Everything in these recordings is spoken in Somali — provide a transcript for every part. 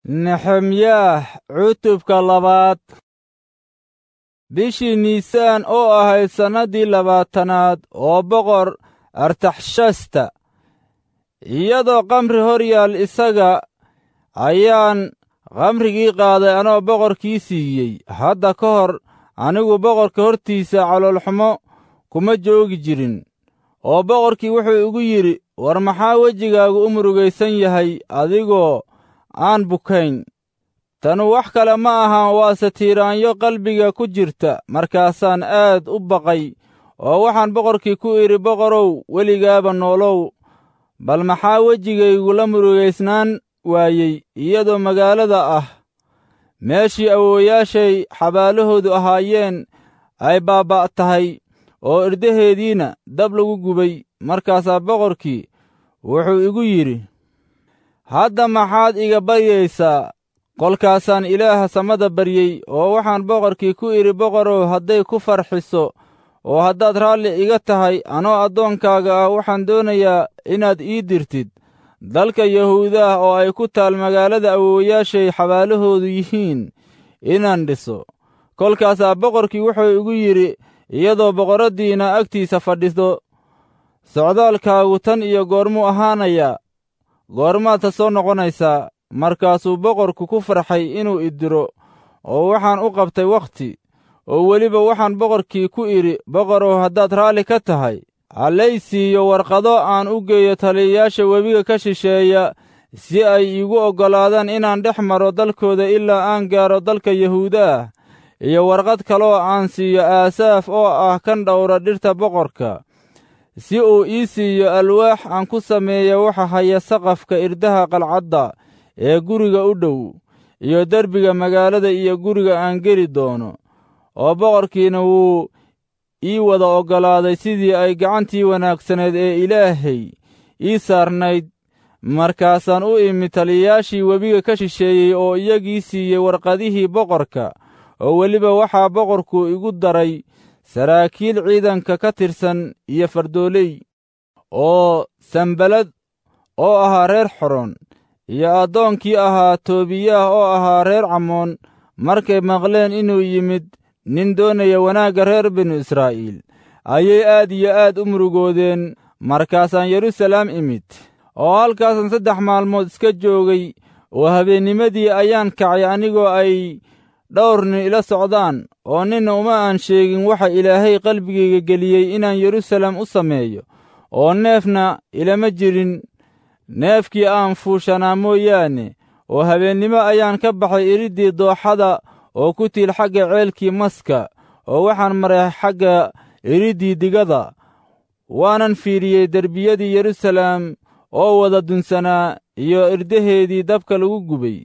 Nexemyaah cutubka labaad. Bishii Niisaan oo ahayd sannaddii 20aad oo boqor Artaxshasta, iyadoo khamri hor yaal isaga, ayaan khamrigii qaaday anoo boqorkii siiyey. Hadda ka hor anigu boqorka hortiisa caloolxumo kuma joogi jirin. Oo boqorkii wuxuu igu yidhi, "War maxaa wejigaagu u murugaysan yahay adigoo aan bukayn? Tanu wax kale ma ahan, waase tiiraanyo qalbiga ku jirta." Markaasaan aad u baqay oo waxaan boqorkii ku idhi, "Boqorow, weligaaba noolow. Bal maxaa wejigaygu la murugaysnaan waayey iyadoo magaalada ah meeshii awoowayaashay xabaalahoodu ahaayeen ay baabba' tahay oo irdaheediina dab lagu gubay?" Markaasaa boqorkii wuxuu igu yidhi, "Hadda maxaad iga baryaysaa?" Kolkaasaan Ilaaha samada baryey oo waxaan boqorkii ku idhi, "Boqorow, hadday ku farxiso oo haddaad raalli iga tahay, anoo addoonkaaga ah waxaan doonayaa inaad ii dirtid dalka Yahuudaah oo ay ku taal magaalada awoowayaashay xabaalahoodu yihiin inaan dhiso." Kolkaasaa boqorkii wuxuu igu yidhi, iyadoo boqorraddiina agtiisa fadhido, "Socdaalkaagu tan iyo goormuu ahaanayaa? Goormaadse soo noqonaysaa?" Markaasuu boqorku ku farxay inuu i diro, oo waxaan u qabtay wakhti. Oo weliba waxaan boqorkii ku idhi, "Boqorow, haddaad raalli ka tahay, hallay siiyo warqado aan u geeyo taliyayaasha webiga ka shisheeya, si ay iigu oggolaadaan inaan dhex maro dalkooda ilaa aan gaaro dalka Yahuudaah, iyo warqad kaloo aan siiyo Aasaaf oo ah kan dhowra dhirta boqorka, si uu ii siiyo alwaax aan ku sameeyo waxa haya saqafka irdaha qalcadda ee guriga u dhow, iyo derbiga magaalada iyo guriga aan geli doono." Oo boqorkiina wuu ii wada oggolaaday sidii ay gacantii wanaagsaneed ee Ilaahay ii saarnayd. Markaasaan u imi taliyayaashii webiga ka shisheeyey oo iyagii siiyey warqadihii boqorka. Oo weliba waxaa boqorku igu daray saraakiil ciidanka ka tirsan iyo fardooley, oo Sanbalad oo ahaa reer Xoron iyo addoonkii ahaa Toobiyaah oo ahaa reer Camoon, markay maqleen inuu yimid nin doonaya wanaagga reer binu Israa'iil, ayay aad iyo aad u murugoodeen. Markaasaan Yeruusalaam imid, oo halkaasaan 3 maalmood iska joogay. Oo habeennimadii ayaan kacay anigoo ay dhowr nin ila socdaan, oo ninna uma aan sheegin waxa Ilaahay qalbigayga geliyey inaan Yeruusalaam u sameeyo. Oo neefna ilama jirin, neefkii aan fuushanaa mooyaane. Oo habeennimo ayaan ka baxay iriddii dooxada oo ku tiil xagga ceelkii maska, oo waxaan maray xagga iriddii digada, waanan fiidhiyey derbiyadii Yeruusalaam oo wada dunsanaa iyo irdaheedii dabka lagu gubay.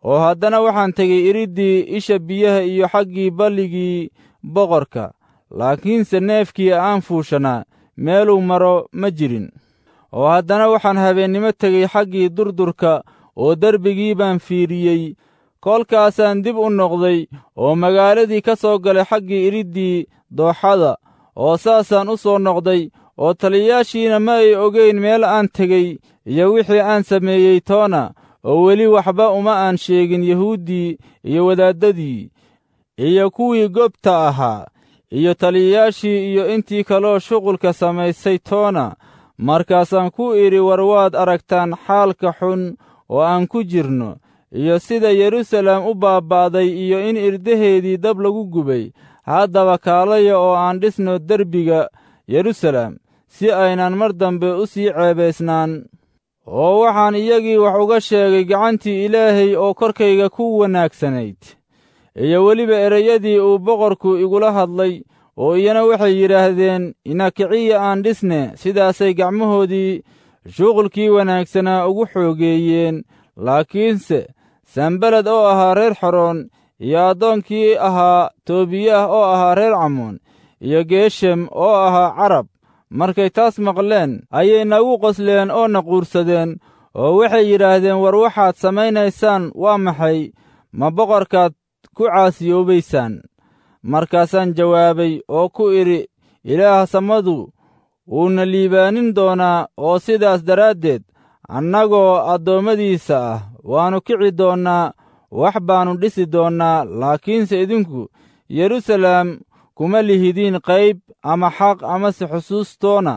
Oo haddana waxaan tegey iriddii isha biyaha iyo xaggii balligii boqorka, laakiinse neefkii aan fuushanaa meeluu maro ma jirin. Oo haddana waxaan habeennimo tegey xaggii durdurka, oo derbigii baan fiidhiyey. Kolkaasaan dib u noqday oo magaaladii ka soo galay xaggii iriddii dooxada, oo saasaan u soo noqday. Oo taliyayaashiina ma ay ogeyn meel aan tegey iyo wixii aan sameeyey toona. Oo weli waxba uma aan sheegin Yahuuddii iyo wadaaddadii iyo kuwii gobta ahaa iyo taliyayaashii iyo intii kaloo shuqulka samaysay toona. Markaasaan ku idhi, "War waad aragtaan xaalka xun oo aan ku jirno, iyo sida Yeruusalaam u baaba'day, iyo in irdaheedii dab lagu gubay. Haddaba kaalaya oo aan dhisno derbiga Yeruusalaam, si aynan mar dambe u sii ceebaysnaan." Oo waxaan iyagii wax uga sheegay gacantii Ilaahay oo korkayga ku wanaagsanayd, iyo weliba ereyadii uu boqorku igula hadlay. Oo iyana waxay yidhaahdeen, "Ina kiciya aan dhisne." Sidaasay gacmahoodii shuqulkii wanaagsanaa ugu xoogeeyeen. Laakiinse Sanbalad oo ahaa reer Xoroon, iyo addoonkii ahaa Toobiyaah oo ahaa reer Camoon, iyo Geeshem oo ahaa Carab, markay taas maqleen ayay nagu qosleen oo na quursadeen, oo waxay yidhaahdeen, "War waxaad samaynaysaan waa maxay? Ma boqorkaad ku caasiyoobaysaan?" Markaasaan jawaabay oo ku idhi, "Ilaaha samadu wuuna liibaanin doonaa, oo sidaas daraaddeed annagoo addoommadiisa ah Waannu kici doonnaa, wax baannu dhisi doonnaa, laakiinse idinku Yeruusaalem kuma lihidiin qayb ama xaq amase xusuustoona.